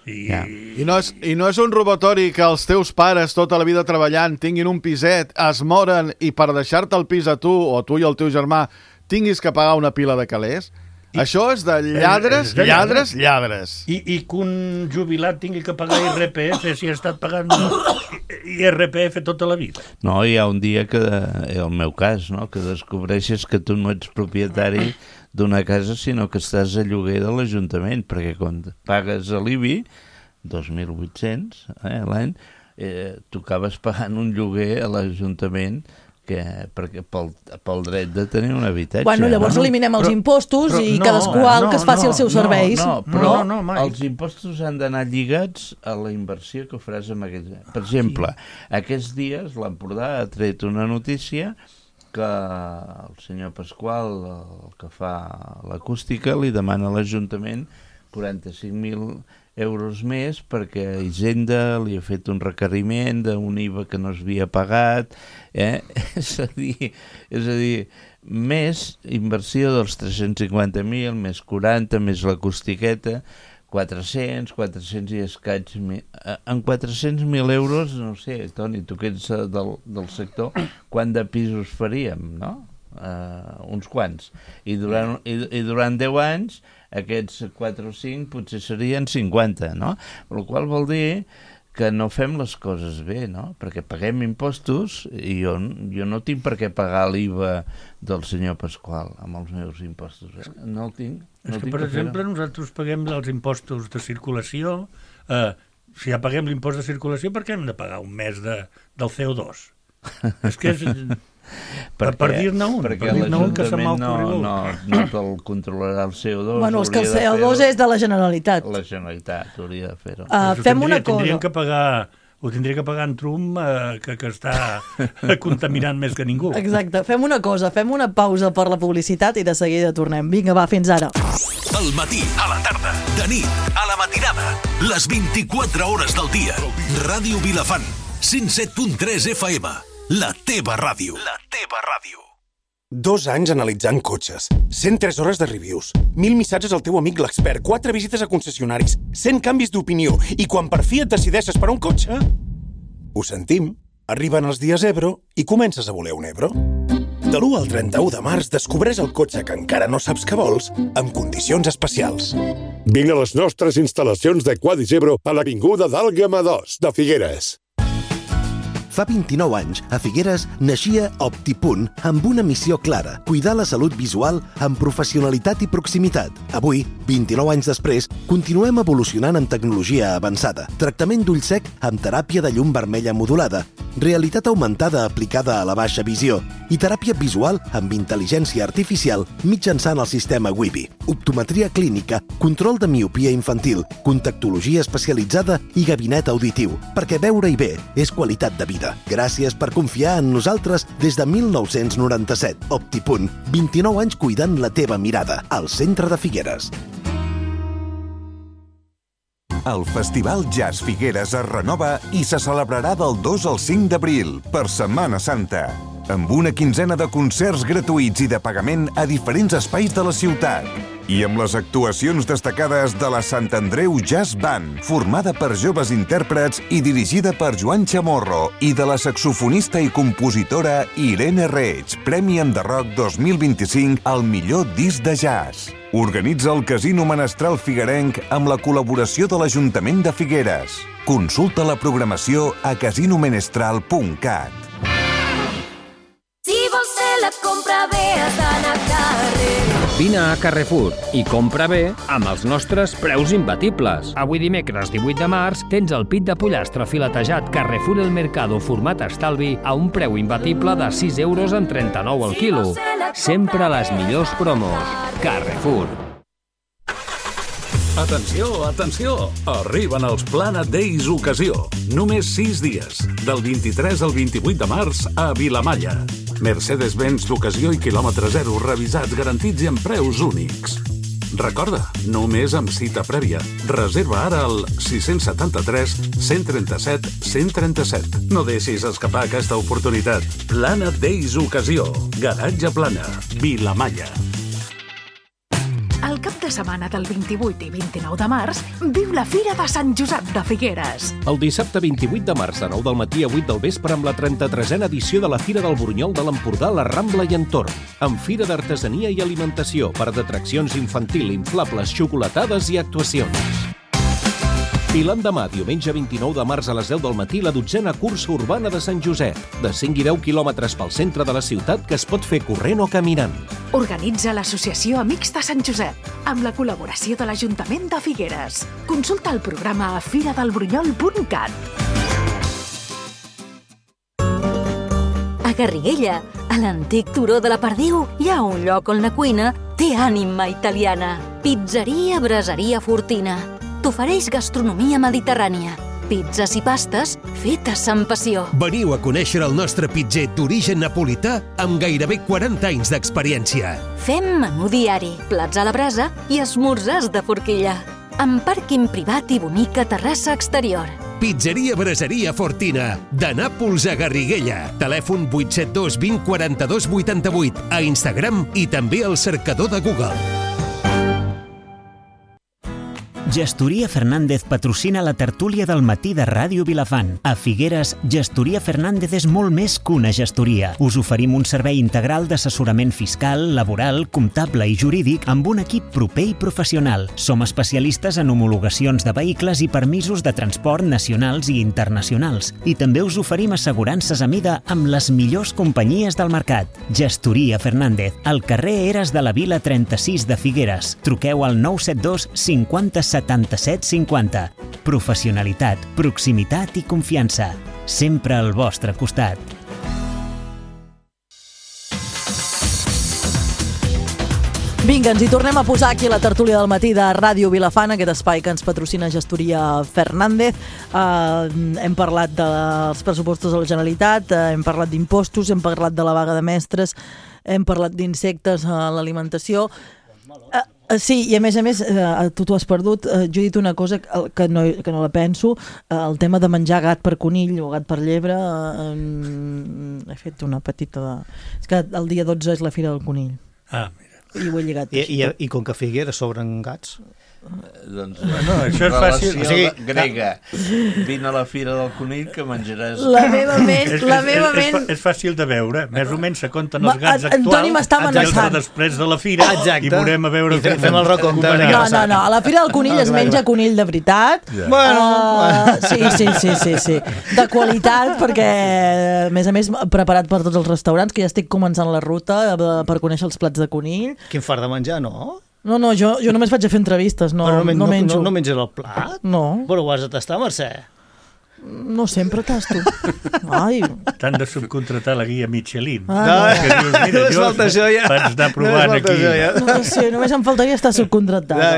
I no és un robatori que els teus pares tota la vida treballant tinguin un piset, es moren i per deixar-te el pis a tu o tu i el teu germà tinguis que pagar una pila de calés? Això és de lladres. I que un jubilat tingui que pagar IRPF si ha estat pagant IRPF tota la vida. No, hi ha un dia que, el meu cas, no?, que descobreixes que tu no ets propietari d'una casa, sinó que estàs a lloguer de l'Ajuntament, perquè quan pagues a l'IBI, 2.800 l'any, tu acabes pagant un lloguer a l'Ajuntament perquè pel dret de tenir un habitatge. Bueno, llavors eliminem els impostos i cadascú que es faci els seus serveis. Però els impostos han d'anar lligats a la inversió que faràs amb aquells. Per exemple, aquests dies l'Empordà ha tret una notícia que el senyor Pasqual, el que fa l'acústica, li demana a l'Ajuntament 45.000 euros més perquè Hisenda li ha fet un requeriment d'un IVA que no s'havia pagat. És a dir, més inversió dels 350.000, més 40, més l'acústiqueta, 400 i escaig. En 400.000 euros, no sé, Toni, tu que ets del sector, quant de pisos faríem, no? Uns quants. I durant 10 anys, aquests 4 o 5 potser serien 50, no? El qual vol dir que no fem les coses bé, no? Perquè paguem impostos i jo no tinc per què pagar l'IVA del senyor Pasqual amb els meus impostos. No el tinc. És que, per exemple, nosaltres paguem els impostos de circulació. Si ja paguem l'impost de circulació, per què hem de pagar un mes del CO2? És que és... Per dir-ne un, que se m'ha ocorregut. No te'l controlarà el CO2. Bueno, és que el CO2 és de la Generalitat. La Generalitat hauria de fer-ho. Fem una cosa. Ho tindria que pagar en Trump, que està contaminant més que ningú. Exacte. Fem una cosa, fem una pausa per la publicitat i de seguida tornem. Vinga, va, fins ara. Al matí, a la tarda, de nit, a la matinada, les 24 hores del dia. Ràdio Vilafant, 107.3 FM. La teva ràdio. La teva ràdio. 2 anys analitzant cotxes, 103 hores de reviews, 1.000 missatges al teu amic l'expert, 4 visites a concessionaris, 100 canvis d'opinió, i quan per fi et decideixes per un cotxe... Ho sentim, arriben els dies Ebro i comences a voler un Ebro. De l'1 al 31 de març descobreix el cotxe que encara no saps que vols amb condicions especials. Vine a les nostres instal·lacions de Quadis Ebro a l'Avinguda d'Àlgama 2 de Figueres. Fa 29 anys, a Figueres, naixia OptiPunt amb una missió clara, cuidar la salut visual amb professionalitat i proximitat. Avui, 29 anys després, continuem evolucionant amb tecnologia avançada, tractament d'ull sec amb teràpia de llum vermella modulada, realitat augmentada aplicada a la baixa visió i teràpia visual amb intel·ligència artificial mitjançant el sistema Wibi, optometria clínica, control de miopia infantil, contactologia especialitzada i gabinet auditiu, perquè veure-hi bé és qualitat de vida. Gràcies per confiar en nosaltres des de 1997. OptiPunt, 29 anys cuidant la teva mirada, al centre de Figueres. El Festival Jazz Figueres es renova i se celebrarà del 2 al 5 d'abril, per Setmana Santa, amb una quinzena de concerts gratuïts i de pagament a diferents espais de la ciutat. I amb les actuacions destacades de la Sant Andreu Jazz Band, formada per joves intèrprets i dirigida per Joan Chamorro, i de la saxofonista i compositora Irene Reig, Premi Enderroc 2025 al millor disc de jazz. Organitza el Casino Menestral Figuerenc amb la col·laboració de l'Ajuntament de Figueres. Consulta la programació a casinomenestral.cat. Si vols fer la compra bé, has d'anar a carrer. Vine a Carrefour i compra bé amb els nostres preus imbatibles. Avui dimecres 18 de març tens el pit de pollastre filetejat Carrefour El Mercado format estalvi a un preu imbatible de 6,39 € al quilo. Sempre les millors promos. Carrefour. Atenció, atenció! Arriben els Planet Days Ocasió. Només 6 dies, del 23 al 28 de març a Vilamalla. Mercedes-Benz d'ocasió i quilòmetre zero, revisats, garantits i amb preus únics. Recorda, només amb cita prèvia. Reserva ara al 673 137 137. No deixis escapar aquesta oportunitat. Planet Days Ocasió. Garatge Plana. Vilamalla. cap de setmana del 28 i 29 de març, viu la Fira de Sant Josep de Figueres. El dissabte 28 de març, de 9 del matí a 8 del vespre, amb la 33a edició de la Fira del Burunyol de l'Empordà, la Rambla i entorn, amb fira d'artesania i alimentació, parc d'atraccions infantil, inflables, xocolatades i actuacions. I l'endemà, diumenge 29 de març a les 10 del matí, la 12a cursa urbana de Sant Josep, de 5 i 10 quilòmetres pel centre de la ciutat que es pot fer corrent o caminant. Organitza l'Associació Amics de Sant Josep, amb la col·laboració de l'Ajuntament de Figueres. Consulta el programa a firadelburunyol.cat. A Garriguella, a l'antic turó de la Perdiu, hi ha un lloc on la cuina té ànima italiana. Pizzeria Braseria Fortina. T'ofereix gastronomia mediterrània, pizzas i pastes fetes amb passió. Veniu a conèixer el nostre pitzer d'origen napolità amb gairebé 40 anys d'experiència. Fem menú diari, plats a la brasa i esmorzars de forquilla. Amb pàrquing privat i bonica terrassa exterior. Pizzeria Braseria Fortina, de Nàpols a Garriguella. Telèfon 872 20 42 88, a Instagram i també al cercador de Google. Gestoria Fernández patrocina la tertúlia del matí de Ràdio Vilafant. A Figueres, Gestoria Fernández és molt més que una gestoria. Us oferim un servei integral d'assessorament fiscal, laboral, comptable i jurídic amb un equip proper i professional. Som especialistes en homologacions de vehicles i permisos de transport nacionals i internacionals. I també us oferim assegurances a mida amb les millors companyies del mercat. Gestoria Fernández, al carrer Eres de la Vila 36 de Figueres. Truqueu al 972 50 77 50. Professionalitat, proximitat i confiança. Sempre al vostre costat. Vinga, ens hi tornem a posar aquí a la tertúlia del matí de Ràdio Vilafant, aquest espai que ens patrocina Gestoria Fernández. Hem parlat dels pressupostos de la Generalitat, hem parlat d'impostos, hem parlat de la vaga de mestres, hem parlat d'insectes a l'alimentació. Sí, i a més, tu t'ho has perdut. Jo he dit una cosa que no la penso, el tema de menjar gat per conill o gat per llebre. He fet una petita... És que el dia 12 és la Fira del Conill. Ah, mira. I ho he lligat. I com que a Figueres sobren gats... Doncs no, això és fàcil. O sigui, grega. Vine a la Fira del Conill que menjaràs... La meva ment... És fàcil de veure. Més o menys se compten els gats actuals. Antoni m'està amenaçant. Després de la Fira i veurem a veure... I fem el recompte. No. A la Fira del Conill es menja conill de veritat. Sí. De qualitat, perquè, a més, preparat per tots els restaurants, que ja estic començant la ruta per conèixer els plats de conill. Quin fart de menjar, no? No, jo només vaig a fer entrevistes, no menjo. No menges el plat? No. Però ho has de tastar, Mercè? No sempre tasto. Ai. T'han de subcontratar la guia Michelin. Que dius, mira, jo vaig anar provant aquí. No sé, només em faltaria estar subcontratada.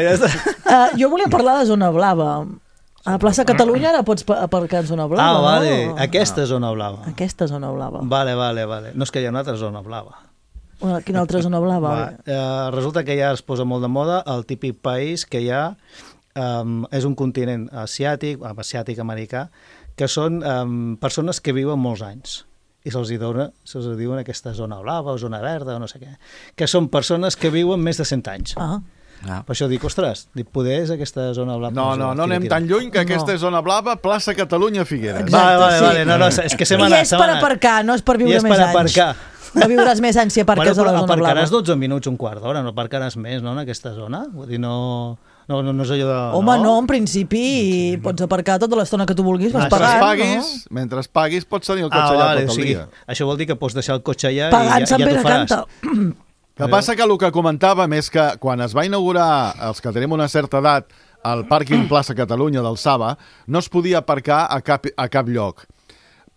Jo volia parlar de Zona Blava. A la plaça Catalunya ara pots aparcar en Zona Blava, no? Vale. Aquesta Zona Blava. Aquesta Zona Blava. Vale. No és que hi ha una altra Zona Blava. Quina altra zona blava? Resulta que ja es posa molt de moda el típic país que hi ha, és un continent asiàtic-americà, que són persones que viuen molts anys i se'ls diuen aquesta zona blava o zona verda o no sé què, que són persones que viuen més de 100 anys. Per això dic, ostres, poder és aquesta zona blava. No anem tan lluny que aquesta és zona blava, plaça Catalunya, Figueres. Vale, no, és que I és per aparcar, no és per viure més anys. No viuràs més anys si aparques a la zona blava. Aparcaràs 12 minuts, un quart d'hora, no aparcaràs més, no, en aquesta zona? Vull dir, no és allò de... Home, no, en principi pots aparcar tota l'estona que tu vulguis, vas pagant, Mentre paguis pots tenir el cotxe allà tot el dia. Això vol dir que pots deixar el cotxe allà pagant i ja t'ho faràs. El que passa que el que comentàvem és que quan es va inaugurar, els que tenim una certa edat, el pàrquing Plaça Catalunya del Saba, no es podia aparcar a cap lloc.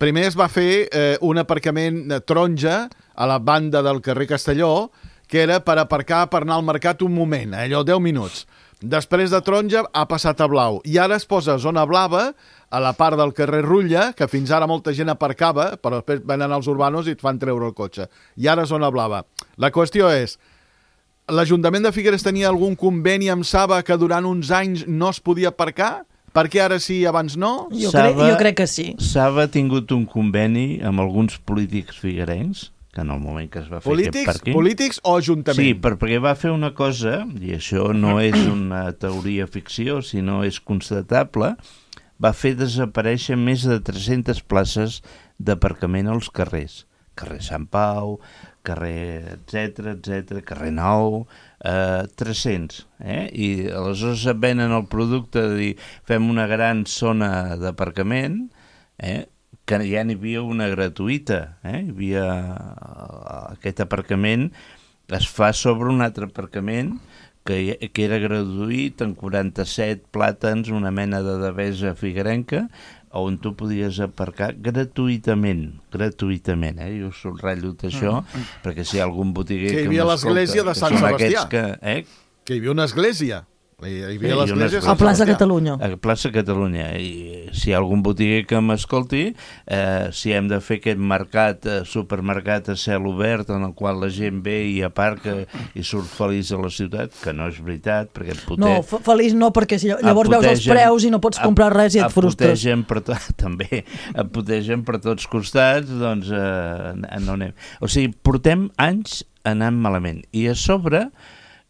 Primer es va fer un aparcament taronja a la banda del carrer Castelló, que era per aparcar per anar al mercat un moment, allò 10 minuts. Després de taronja ha passat a blau. I ara es posa zona blava a la part del carrer Rutlla, que fins ara molta gent aparcava, però després venen els urbanos i et fan treure el cotxe. I ara zona blava. La qüestió és, l'Ajuntament de Figueres tenia algun conveni amb Saba que durant uns anys no es podia aparcar? Per què ara sí i abans no? Jo crec que sí. Saba ha tingut un conveni amb alguns polítics figuerencs que en el moment que es va fer aquest pàrquing... Polítics o ajuntament? Sí, perquè va fer una cosa, i això no és una teoria ficció, sinó és constatable, va fer desaparèixer més de 300 places d'aparcament als carrers. Carrer Sant Pau, carrer etc, carrer Nou, 300. I aleshores es venen el producte de dir fem una gran zona d'aparcament, que ja n'hi havia una gratuïta. Hi havia aquest aparcament, es fa sobre un altre aparcament que era gratuït, amb 47 plàtans, una mena de devesa figuerenca, on tu podies aparcar gratuïtament, jo subratllo això, perquè si hi ha algun botiguer que hi havia l'església de Sant Sebastià, que hi havia una església. Hi havia l'església a Plaça Catalunya. A Plaça Catalunya. I si hi ha algun botiguer que m'escolti, si hem de fer aquest mercat, supermercat a cel obert, en el qual la gent ve i aparca i surt feliç a la ciutat, que no és veritat, perquè et No, feliç no, perquè llavors veus els preus i no pots comprar res i et frustres. També, et putegen per tots costats, doncs no anem. O sigui, portem anys anant malament. I a sobre...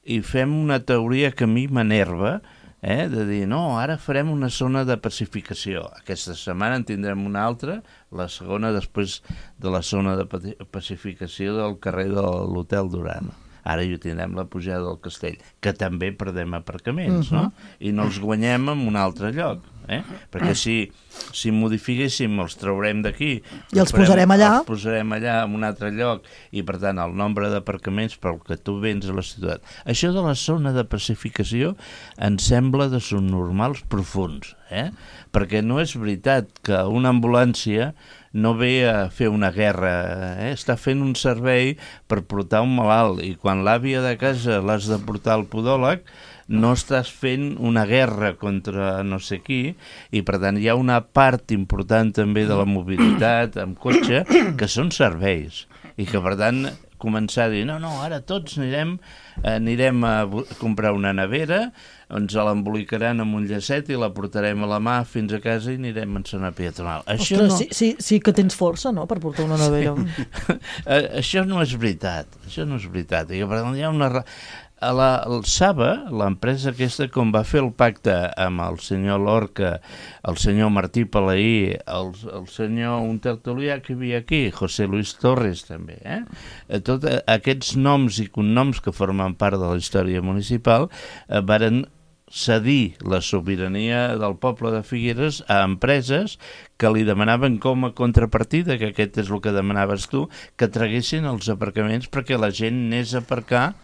i fem una teoria que a mi m'enerva, de dir, no, ara farem una zona de pacificació. Aquesta setmana en tindrem una altra, la segona després de la zona de pacificació del carrer de l'Hotel Duran. Ara hi tindrem la pujada del Castell, que també perdem aparcaments, no? I no els guanyem en un altre lloc. Perquè si modifiquéssim els traurem d'aquí i els posarem allà en un altre lloc, i per tant el nombre d'aparcaments pel que tu vens a la ciutat. Això de la zona de pacificació em sembla de subnormals profuns, perquè no és veritat que una ambulància no ve a fer una guerra, està fent un servei per portar un malalt, i quan l'àvia de casa l'has de portar al podòleg no estàs fent una guerra contra no sé qui, i per tant hi ha una part important també de la mobilitat amb cotxe que són serveis, i que per tant començar a dir, no, ara tots anirem a comprar una nevera, ens l'embolicaran amb un llacet i la portarem a la mà fins a casa i anirem en zona peatonal. Ostres, sí que tens força, no?, per portar una nevera. Això no és veritat, i que per tant hi ha una... El Saba, l'empresa aquesta, com va fer el pacte amb el senyor Lorca, el senyor Martí Palaí, el senyor, un tertulià que hi havia aquí, José Luis Torres també, tots aquests noms i cognoms que formen part de la història municipal varen cedir la sobirania del poble de Figueres a empreses que li demanaven com a contrapartida, que aquest és el que demanaves tu, que traguessin els aparcaments perquè la gent anés a aparcar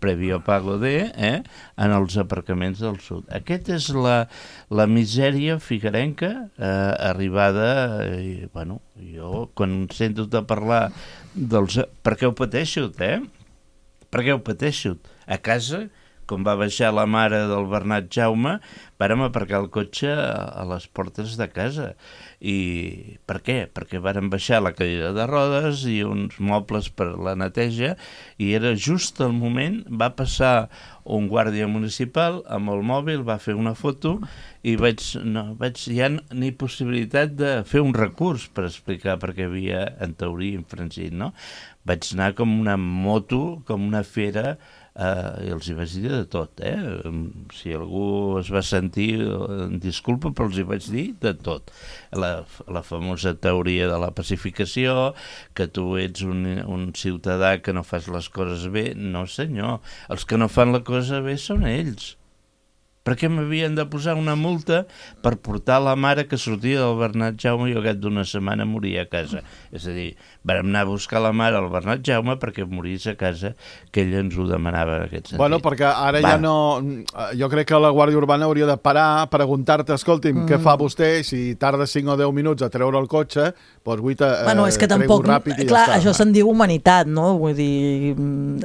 prèvio pago en els aparcaments del sud. Aquesta és la misèria figuerenca arribada, i, bueno, jo quan sento de parlar dels... Per què ho pateixo, Per què ho pateixo? A casa, com va baixar la mare del Bernat Jaume, vàrem aparcar el cotxe a les portes de casa. I per què? Perquè vàrem baixar la cadira de rodes i uns mobles per la neteja, i era just el moment, va passar un guàrdia municipal amb el mòbil, va fer una foto i hi ha ni possibilitat de fer un recurs per explicar per què havia, en teoria, infringit, no? Vaig anar com una moto, com una fera, i els hi vaig dir de tot, si algú es va sentir, disculpa, però els hi vaig dir de tot. La famosa teoria de la pacificació, que tu ets un ciutadà que no fas les coses bé. No, senyor, els que no fan la cosa bé són ells. Per què m'havien de posar una multa per portar la mare que sortia del Bernat Jaume i al cap d'una setmana moria a casa? És a dir, vam anar a buscar la mare al Bernat Jaume perquè morís a casa, que ella ens ho demanava en aquest sentit. Bueno, perquè ara ja no... Jo crec que la Guàrdia Urbana hauria de parar, preguntar-te, escolti'm, què fa vostè? Si tarda 5 o 10 minuts a treure el cotxe, doncs vull és que tampoc, ràpid i clar, ja està. Això se'n diu humanitat, no? Vull dir,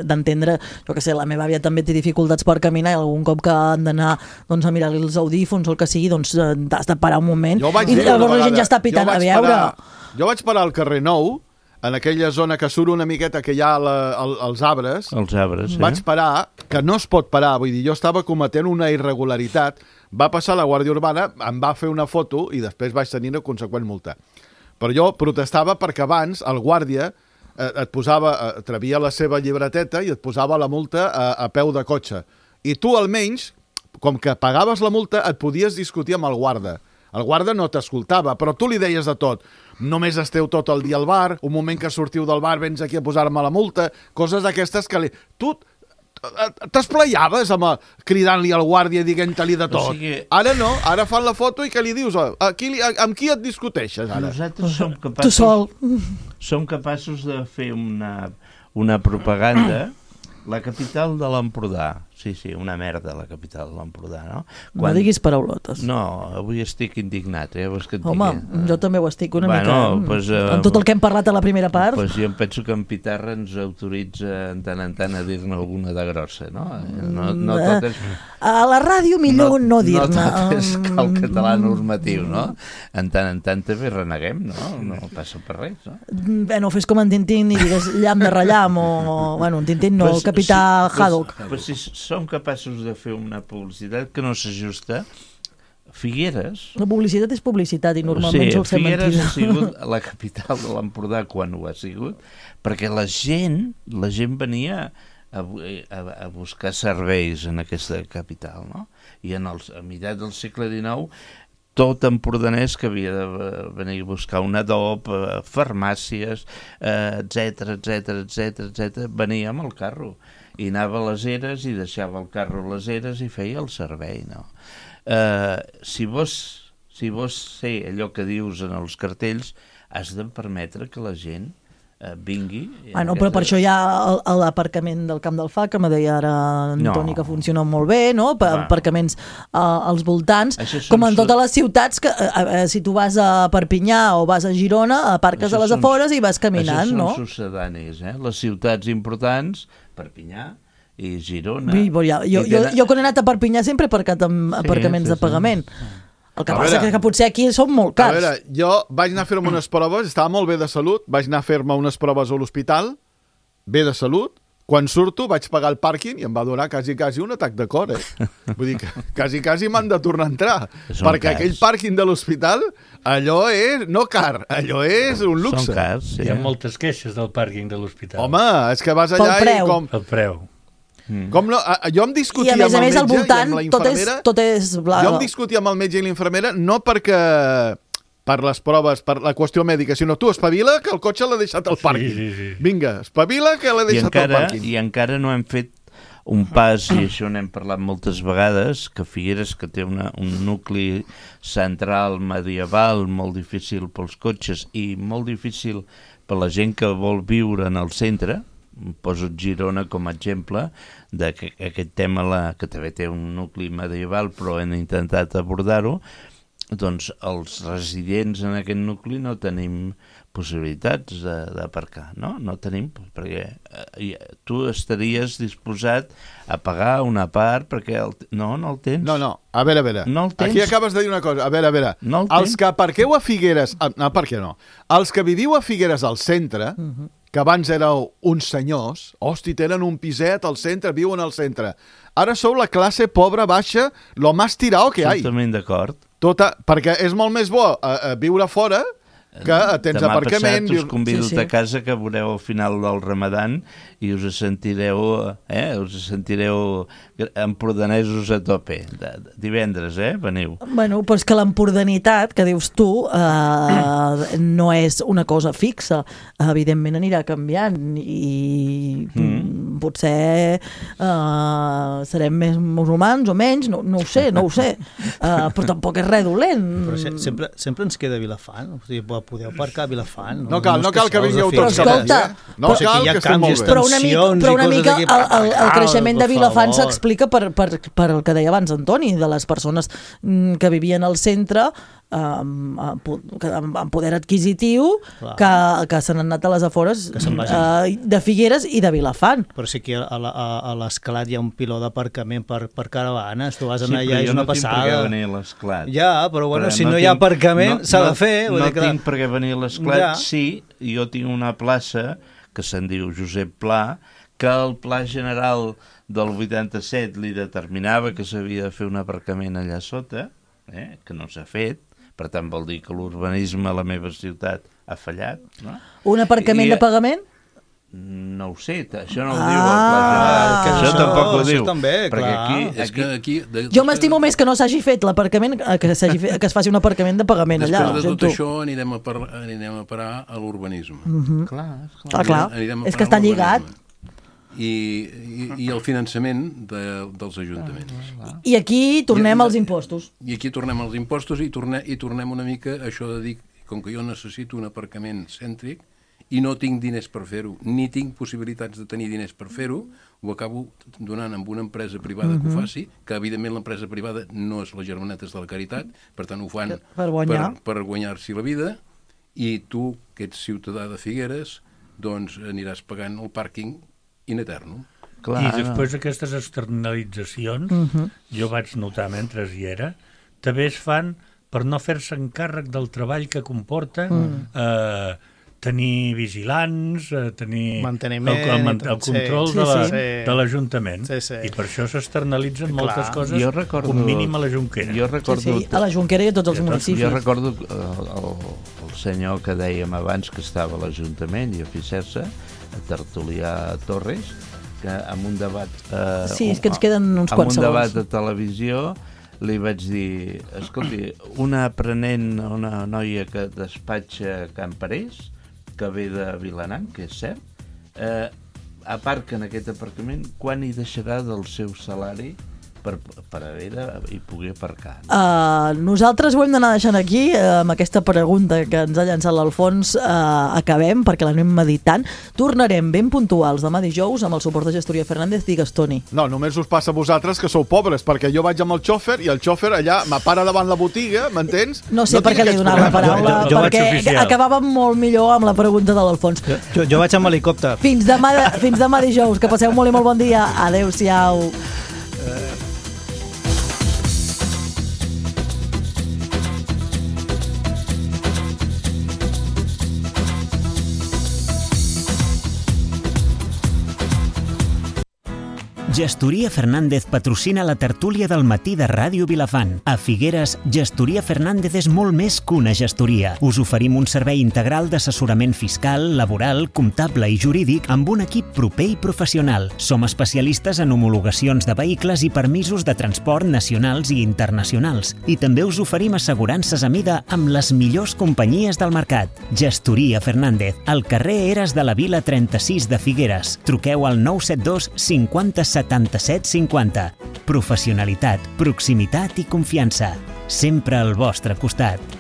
d'entendre, jo què sé, la meva àvia també té dificultats per caminar i algun cop que han d'anar doncs a mirar-li els audífons o el que sigui, doncs has de parar un moment i llavors la gent ja està pitant a veure. Jo vaig parar al carrer Nou, en aquella zona que surt una miqueta que hi ha els arbres. Els arbres, Vaig parar, que no es pot parar, vull dir, jo estava cometent una irregularitat, va passar la Guàrdia Urbana, em va fer una foto i després vaig tenir una conseqüent multa. Però jo protestava perquè abans el guàrdia et posava, trebia la seva llibreteta i et posava la multa a peu de cotxe. I tu, almenys, com que pagaves la multa, et podies discutir amb el guarda. El guarda no t'escoltava, però tu li deies de tot. Només esteu tot el dia al bar, un moment que sortiu del bar vens aquí a posar-me la multa, coses d'aquestes que tu t'esplaiaves cridant-li al guàrdia i dient-li de tot. Ara no, ara fan la foto i què li dius? Amb qui et discuteixes ara? Nosaltres som Tu capaços de fer una propaganda. La capital de l'Empordà. Sí, una merda, la capital de l'Empordà, no? No diguis paraulotes. No, avui estic indignat, Home, jo també ho estic una mica. Amb tot el que hem parlat a la primera part. Jo em penso que en Pitarra ens autoritza de tant en tant a dir-ne alguna de grossa, no? No tot és... A la ràdio millor no dir-ne. No tot és el català normatiu, no? En tant també reneguem, no? No passa per res, no? No fes com en Tintín i digues llamp de rellam o... Bueno, en Tintín no, el capità Haddock. Però si som capaços de fer una publicitat que no s'ajusta, Figueres... La publicitat és publicitat i normalment sol ser mentida. Figueres ha sigut la capital de l'Empordà quan ho ha sigut, perquè la gent venia a buscar serveis en aquesta capital, no? I a mitjans del segle XIX tot empordanès que havia de venir a buscar un adob, farmàcies, etc, venia amb el carro i anava a les eres i deixava el carro a les eres i feia el servei, no? Si vols ser allò que dius en els cartells, has de permetre que la gent vingui... Però per això hi ha l'aparcament del Camp del Far, que me deia ara Antoni que funciona molt bé, no? Aparcaments als voltants, com en totes les ciutats, que si tu vas a Perpinyà o vas a Girona, aparques a les afores i vas caminant, no? Això són succedanis, les ciutats importants, Perpinyà i Girona... Jo quan he anat a Perpinyà sempre he aparcat amb aparcaments de pagament. El que passa que potser aquí són molt cars. A veure, jo vaig anar a fer-me unes proves, estava molt bé de salut, vaig anar a fer-me unes proves a l'hospital, bé de salut, quan surto vaig pagar el pàrquing i em va durar quasi un atac de cor, Vull dir que quasi m'han de tornar a entrar, perquè aquell pàrquing de l'hospital, allò és no car, allò és un luxe. Són cars, sí. Hi ha moltes queixes del pàrquing de l'hospital. Home, és que vas allà i com... El preu. Com no, jo em discutia amb el metge i amb la infermera. Tot és bla... Jo em discutia amb el metge i l'infermera no perquè per les proves, per la qüestió mèdica, sinó tu espavila que el cotxe l'ha deixat al pàrquing. Sí. Vinga, espavila que l'ha deixat al pàrquing. I encara no hem fet un pas, i això n'hem parlat moltes vegades, que Figueres, que té un nucli central medieval molt difícil pels cotxes i molt difícil per la gent que vol viure en el centre, poso Girona com a exemple d'aquest tema que també té un nucli medieval però hem intentat abordar-ho, doncs els residents en aquest nucli no tenim possibilitats d'aparcar, no tenim, perquè tu estaries disposat a pagar una part perquè no el tens. No, a veure, no el tens. Aquí acabes de dir una cosa, a veure, no els que aparqueu a Figueres, per què no? Els que viviu a Figueres al centre, que abans éreu uns senyors, tenen un piset al centre, viuen al centre. Ara sou la classe pobra, baixa, lo más tirao que hay. Totalment d'acord. Perquè és molt més bo viure fora que tens aparcament... Demà passat us convido a casa que veureu al final del Ramadan i us sentireu empordanesos a tope. Divendres, veniu. Bueno, però és que l'empordanitat que dius tu no és una cosa fixa. Evidentment anirà canviant i potser serem més musulmans o menys, no ho sé, però tampoc és res dolent. Però sempre ens queda Vilafant, o sigui, podeu aparcar a Vilafant. No cal que vingueu tots cap allà. No cal que estem molt bé. Però una mica el creixement de Vilafant s'explica per el que deia abans Antoni, de les persones que vivien al centre amb poder adquisitiu que s'han anat a les afores de Figueres i de Vilafant. Però sí que a l'Esclat hi ha un piló d'aparcament per caravanes, tu vas anar allà i és una passada. Sí, però jo no tinc per què venir a l'Esclat. Ja, però bueno, si no hi ha aparcament s'ha de fer. No tinc per què venir a l'Esclat, sí, jo tinc una plaça que se'n diu Josep Pla, que el Pla General del 87 li determinava que s'havia de fer un aparcament allà sota, que no s'ha fet, per tant vol dir que l'urbanisme a la meva ciutat ha fallat. No? Un aparcament de pagament? No ho sé, això no ho diu el pla general. Això tampoc ho diu. També, perquè aquí... Jo m'estimo més que no s'hagi fet l'aparcament, que es faci un aparcament de pagament allà. Després de tot això anirem a parar a l'urbanisme. Clar. És que està lligat. I el finançament dels ajuntaments. I aquí tornem als impostos. I aquí tornem als impostos i tornem una mica a això de dir, com que jo necessito un aparcament cèntric i no tinc diners per fer-ho, ni tinc possibilitats de tenir diners per fer-ho, ho acabo donant amb una empresa privada que ho faci, que evidentment l'empresa privada no és les germanetes de la caritat, per tant ho fan per guanyar-s'hi la vida, i tu, que ets ciutadà de Figueres, doncs aniràs pagant el pàrquing in eternum. I després aquestes externalitzacions, jo vaig notar mentre hi era, també es fan per no fer-se encàrrec del treball que comporta tenir vigilants, tenir el control de l'Ajuntament. I per això s'externalitzen moltes coses, com mínim a la Jonquera. A la Jonquera i a tots els municipis. Jo recordo el senyor que dèiem abans que estava a l'Ajuntament i a Fissersa, a Tertulià Torres, que en un debat és que ens queden uns quants segons. En un debat de televisió li vaig dir, escolti, una aprenent, una noia que despatxa a Can Parés, que ve de Vilanant, que és cert, aparca en aquest aparcament, quan hi deixarà del seu salari per haver i poder aparcar? Nosaltres ho hem d'anar deixant aquí, amb aquesta pregunta que ens ha llançat l'Alfons. Acabem, perquè l'anem meditant. Tornarem ben puntuals demà dijous amb el suport de Gestoria Fernández. Digues, Toni. No, només us passa a vosaltres que sou pobres, perquè jo vaig amb el xòfer i el xòfer allà m'apara davant la botiga, m'entens? No sé per què li he donat la paraula, perquè acabàvem molt millor amb la pregunta de l'Alfons. Jo vaig amb helicòpter. Fins demà dijous, que passeu molt i molt bon dia. Adéu-siau. Gestoria Fernández patrocina la tertúlia del matí de Ràdio Vilafant. A Figueres, Gestoria Fernández és molt més que una gestoria. Us oferim un servei integral d'assessorament fiscal, laboral, comptable i jurídic amb un equip proper i professional. Som especialistes en homologacions de vehicles i permisos de transport nacionals i internacionals. I també us oferim assegurances a mida amb les millors companyies del mercat. Gestoria Fernández, al carrer Eres de la Vila 36 de Figueres. Truqueu al 972 50 77 50. Professionalitat, proximitat i confiança. Sempre al vostre costat.